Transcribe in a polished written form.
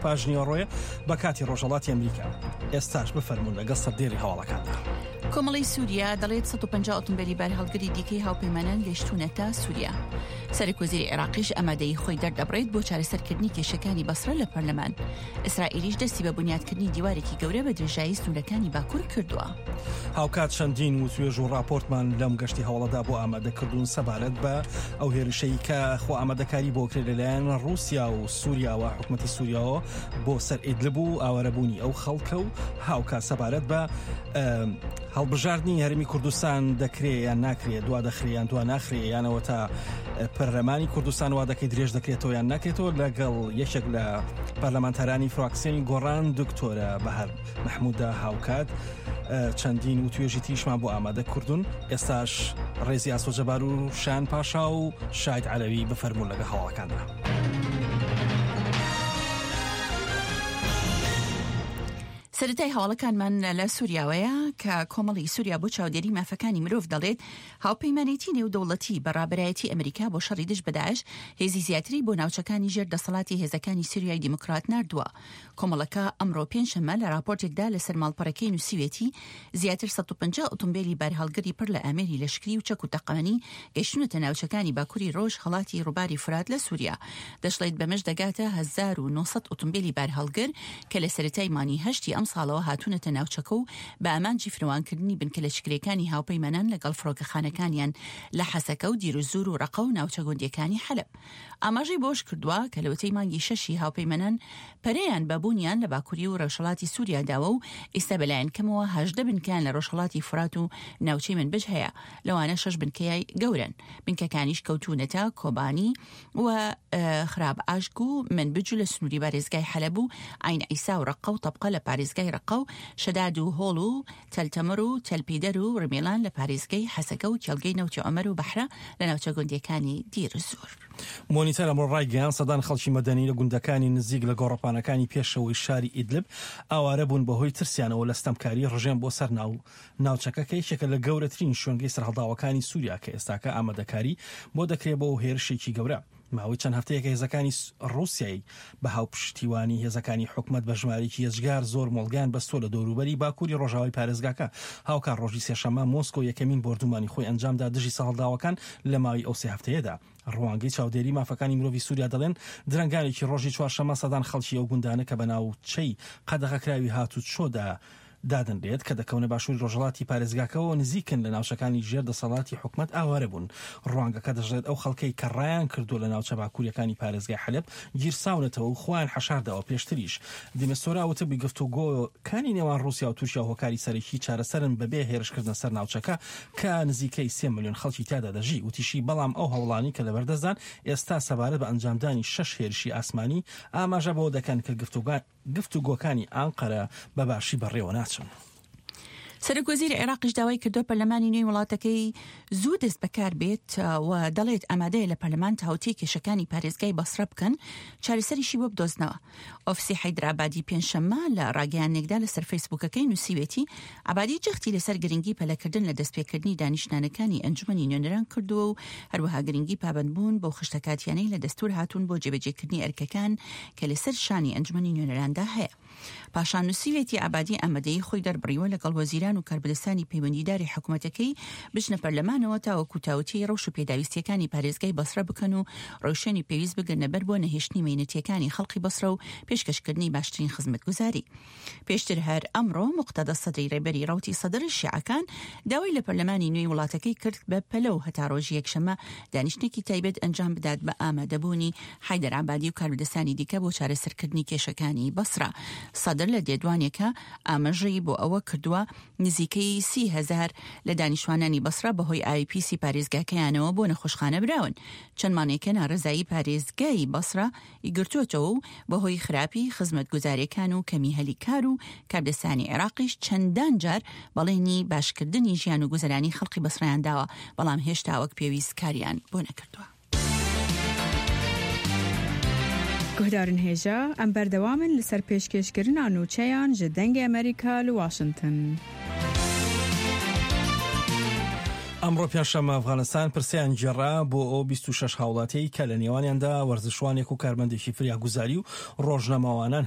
پاش نیوەڕۆیە بە کاتی ڕۆژهەڵاتی ئەمریکا. ئێستاش بفەرموون لەگەڵ سەردێڕی هەواڵەکاندا. کۆمەڵەی سووریا دەڵێت 150 ئۆتۆمبێلی بارهەڵگری دیکەی هاوپەیمانان گەیشتوونەتە سووریا. سەرۆکوەزیری عێراقیش ئامادەیی خۆی دەردەبڕێت بۆ چارەسەرکردنی کێشەکانی بەسرە لە پەرلەمان. ئیسرائیلیش دەستی بە بونیادکردنی دیوارێکی گەورە بە درێژایی سنوورەکانی باکوور کردووە. هاوکات چەندین وتوێژ و ڕاپۆرتمان لەم گەشتی هەواڵەدا بۆ ئامادەکردوون سەبارەت بە ئەو هێرشەی کە خۆ ئامادەکاری بۆ کرێ لەلایەن ڕووسیا و سووریاوە حکوومەتی سووریاوە بۆ سەر ئیدلب و ئاوارەبوونی ئەو خەڵکە و هاوکات سەبارەت بە هەڵبژاردنی هەرمی کوردستان دەکرێ یان ناکرێ دوا دەخرێ یان دوا ناخرێ یانەوە تا پەرلەمانی کوردستان وادەکەی درێژ دەکرێتەوە یان ناکرێتەوە لەگەڵ یەکێک لە پەرلەمانتارانی فراکسیۆنی گۆڕان دکتۆرە بەهار مححموددا هاوکات چەندین و توێژی تریشمان بۆ ئامادە کردوون ئێستاش ڕێزی ئاسۆ جەبار و شان پاشا و شاید عەلەوی بفەرموون لەگە هەواڵەکاندا. سەرەتای هەواڵەکانمان لە سووریاوەیە کە کۆمەڵی سووریا بۆ چاودێری مافەکانی مرۆڤ دەڵێت هاوپەیمانێتی نێودەوڵەتی بە ڕابەرایەتی ئەمریکا بۆ شەڕی دژ بە داعش هێزی زیاتری بۆ ناوچەکانی ژێر دەسەڵاتی هێزەکانی سووریای دیموکرات ناردووە. کۆمەڵەکە ئەمڕۆ پێنجشەممە لە ڕاپۆرتێکدا لەسەر ماڵپەڕەکەی نووسیوێتی زیاتر 150 ئۆتۆمبێلی بارهەڵگری پڕ لە ئامێری لەشکری و چەک و تەقەمەنی گەیشتوونەتە ناوچەکانی باکوری ڕۆژ هەڵاتی ڕووباری فورات لە سووریا. دەشڵێت بەمەش دەگاتە 1900 ئۆتۆمبێلی بارهەڵگر کە لە سەرەتای مانگی هەشتی ئەمساڵەوە هاتوونەتە ناوچەکە و بە ئامانجی فراوانکردنی بنکە لەشکرییەکانی هاوپەیمانان لەگەڵ فڕۆکەخانەکانیان لە حەسەکە و دیرزوور و ڕەقە و ناوچە گوندییەکانی حەلەب. ئاماژەی بەوەشکردووە کە لەوەتەی مانگی شەشی هاوپەیمانان پەرەیان بە بوونیان لە باکووری و ڕۆژهەڵاتی سووریا داوە و ئیستا بەلایەن کەمەوە 18 بنکەیان لە ڕۆژهەڵاتی فورات و ناوچەی منبج هەیە لەوانە شەش بنکەی گەورەن بنکەکانیش کەوتوونەتە کۆبانی و خراب ئاشک و منبج لە سنووری بارێزگای حەلەب و عەین عیسا و ڕەققە و تەبقە لە پارێزگای ڕەققە و شەداد و هۆڵ و تەل تەمر و تەل پیدەر و ڕمیڵان لە پارێزگەی حەسەکە و کێڵگەی نەوتی عومەر و بەحرە لە ناوچە گوندییەکانی دیرزوور. مۆنیتەر ئەمڕۆ ڕایگەیاند، سەدان خەڵکی مەدەنی لە گوندەکانی نزیک لە گۆڕەپانەکانی پێشەوەی شاری ئیدلب ئاوارە بوون بەهۆی ترسیانەوە لە ستەمکاری ڕژێم بۆ سەر ناو ناوچەکە کە یەکێکە لە گەورەترین شوێنگەی سەرهەڵداوەکانی سووریا کە ئێستاکە ئامادەکاری بۆ دەکرێت بۆ هێرشێکی گەورە. ماوەی چەند هەفتەیەکە هێزەکانی ڕووسیای بە هاوپشتیوانی هێزەکانی حکومەت بە ژمارەیەکی یەجگار زۆر مۆڵگەیان بەستووە لە دەوروبەری باکووری ڕۆژاوای پارێزگاکە. هاوکات ڕۆژی سێشەممە مۆسکۆ یەکەمین بۆردومانی خۆی ئەنجامدا دژی سەرهەڵداوەکان لە ماوەی ئەو سێ هەفتەیەدا. ڕوانگەی چاودێری مافەکانی مرۆڤی سووریا دەڵێن، درەنگانێکی ڕۆژی چوارشەممە سەدان خەڵکی ئەو گوندانە کە بە ناوچەی قەدەغەکراوی هاتوچۆدا دادەنرێت کە دەکەونە باشووری ڕۆژهەڵاتی پارێزگاکەوە و نزیکن لە ناوچەکانی ژێر دەسەڵاتی حکومەت ئاوارە بوون. ڕوانگەکە دەشڵێت ئەو خەڵکەی کە ڕایان کردووە لە ناوچە باکوورییەکانی پارێزگای حەلەب گیرساونەتەوە و خۆیان حەشارداوە پێشتریش دیمستۆرا وتبووی گفتوگۆکانی نێوان ڕووسیا و تورکیا هۆکاری سەرەکی چارەسەرن بەبێ هێرشکردنە سەر ناوچەکە کە نزیکەی سێ ملیۆن خەڵکی تیادا دەژی وتیشی بەڵام ئەو هەوڵانەی کە لەبەردەستدان ئێستا سەبارەت بە ئەنجامدانی شەش هێرشی ئاسمانی ئاماژە بەوە دەکەن کە گفتوگۆکانی ئانقەرە بە باشی بەڕێوە ناچن. سەرۆک وەزیری عێراقیش داوای کردووە پەرلەمانی نوێی وڵاتەکەی زوو دەست بەکار بێت و دەڵێت ئامادەیە لە پەرلەمان تاوتێی کێشەکانی پارێزگای بەسرە بکەن چارەسەریشی بۆ بدۆزنەوە. ئۆفسی حەیدەر عەبادی پێنجشەممە لە ڕاگەیاندنێکدا لەسەر فەیسبووکەکەی نووسیوێتی عەبادی جەختی لەسەر گرنگی پەلەکردن لە دەستپێکردنی دانیشتنانەکانی ئەنجومەنی نوێنەران کردووە و هەروەها گرنگی پابەندبوون بەو خشتە کاتیانەی لە دەستور هاتوون بۆ جێبەجێکردنی ئەرکەکان کە لەسەر شانی ئەنجومەنی نوێنەراندا هەیە. پاشان نووسیویەتی عەبادی ئامادەیی خۆی دەربڕیوە لەگەڵ وەزیران و کاربەدەستانی پەیوەندیداری حکومەتەکەی بچنە پەرلەمانەوە تاوەکو تاوتێی ڕەوش و پێداویستییەکانی پارێزگای بەسرە بکەن و ڕێوشوێنی پێویست بگرنەبەر بۆ نەهێشتنی مەینەتییەکانی خەڵقی بەسرە و پێشکەشکردنی باشترین خزمەتگوزاری. پێشتر هەر ئەمڕۆ موقتەدا سەدری ڕێبەری ڕەوتی سەدر شیعەکان داوای لە پەرلەمانی نوێی وڵاتەکەی کرد بە پەلە و هەتا ڕۆژی یەکشەممە دانیشتنێکی تایبەت ئەنجام بدات بە ئامادەبوونی حەیدەر عەبادی و کاربەدەستانی دیکە بۆ چارەسەرکردنی کێشەکانی بەسرە. سەدر لە لێدوانێکا ئاماژەی بۆ ئەوە کردووە نزیکەی 30 هەزار لە دانیشتوانانی بەسرە بەهۆی ئاوی پیسی پارێزگاکەیانەوە بۆ نەخۆشخانە براون. چەند مانگێکە ناڕەزایی پارێزگای بەسرە ی گرتووەتەوە و بەهۆی خراپی خزمەتگوزارییەکان و کەمی هەلی کار و کاردەستانی عێراقیش چەندان جار بەڵێنی باشکردنی ژیان و گوزەرانی خەڵقی بەسرەیان داوە، بەڵام هێشتا وەک پێویست کاریان بۆ نەکردووە. Guhdarên hêja, em berdewam in li ser pêşkêşkirina nûçeyan ji Dengê Amerîka li Washington. ئەمڕۆ پێنجشەممە ئەفغانستان پرسەیان گێڕا بۆ ئەو 26 هاوڵاتیەی کە لە نێوانیاندا وەرزشوانێک و کارمەندێکی فریاگوزاری و ڕۆژنامەوانان.